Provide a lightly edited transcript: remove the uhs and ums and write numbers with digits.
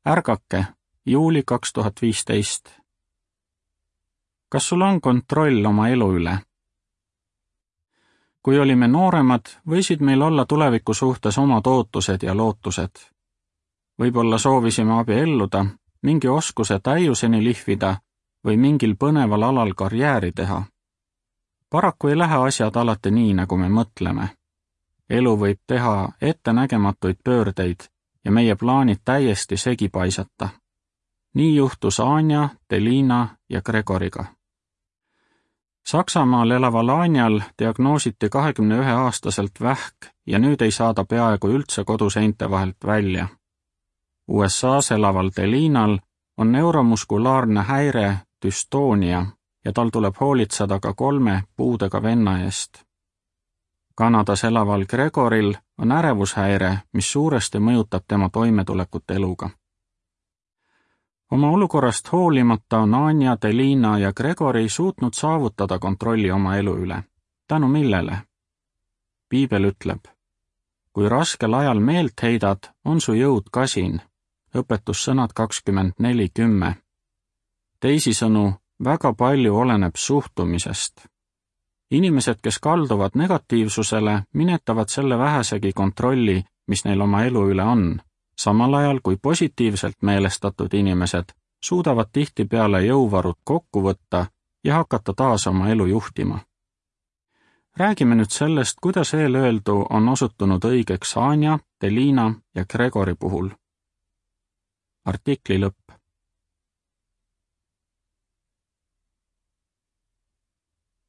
Ärgake, juuli 2015. Kas sul on kontroll oma elu üle? Kui olime nooremad, võisid meil olla tuleviku suhtes omad ootused ja lootused. Võib-olla soovisime abielluda, mingi oskuse täiuseni lihvida või mingil põneval alal karjääri teha. Paraku ei lähe asjad alati nii, nagu me mõtleme. Elu võib teha ettenägematuid pöördeid ja meie plaanid täiesti segi paisata. Nii juhtus Anja, Delina ja Gregoriga. Saksamaal elaval Anjal diagnoositi 21-aastaselt vähk ja nüüd ei saa ta peaaegu üldse koduseinte vahelt välja. USAs elaval Delinal on neuromuskulaarne häire düstoonia ja tal tuleb hoolitseda ka 3 puudega venna eest. Kanadas elaval Gregoril on ärevushäire, mis suuresti mõjutab tema toimetulekut eluga. Oma olukorrast hoolimata on Anja, Delina ja Gregori suutnud saavutada kontrolli oma elu üle. Tänu millele? Piibel ütleb, kui raskel ajal meelt heidad, on su jõud kasin. Õpetussõnad 24:10. Teisisõnu, väga palju oleneb suhtumisest. Inimesed, kes kalduvad negatiivsusele, minetavad selle vähesegi kontrolli, mis neil oma elu üle on, samal ajal kui positiivselt meelestatud inimesed suudavad tihtipeale jõuvarud kokku võtta ja hakata taas oma elu juhtima. Räägime nüüd sellest, kuidas eelöeldu on osutunud õigeks Anja, Delina ja Gregori puhul. Artikli lõpp.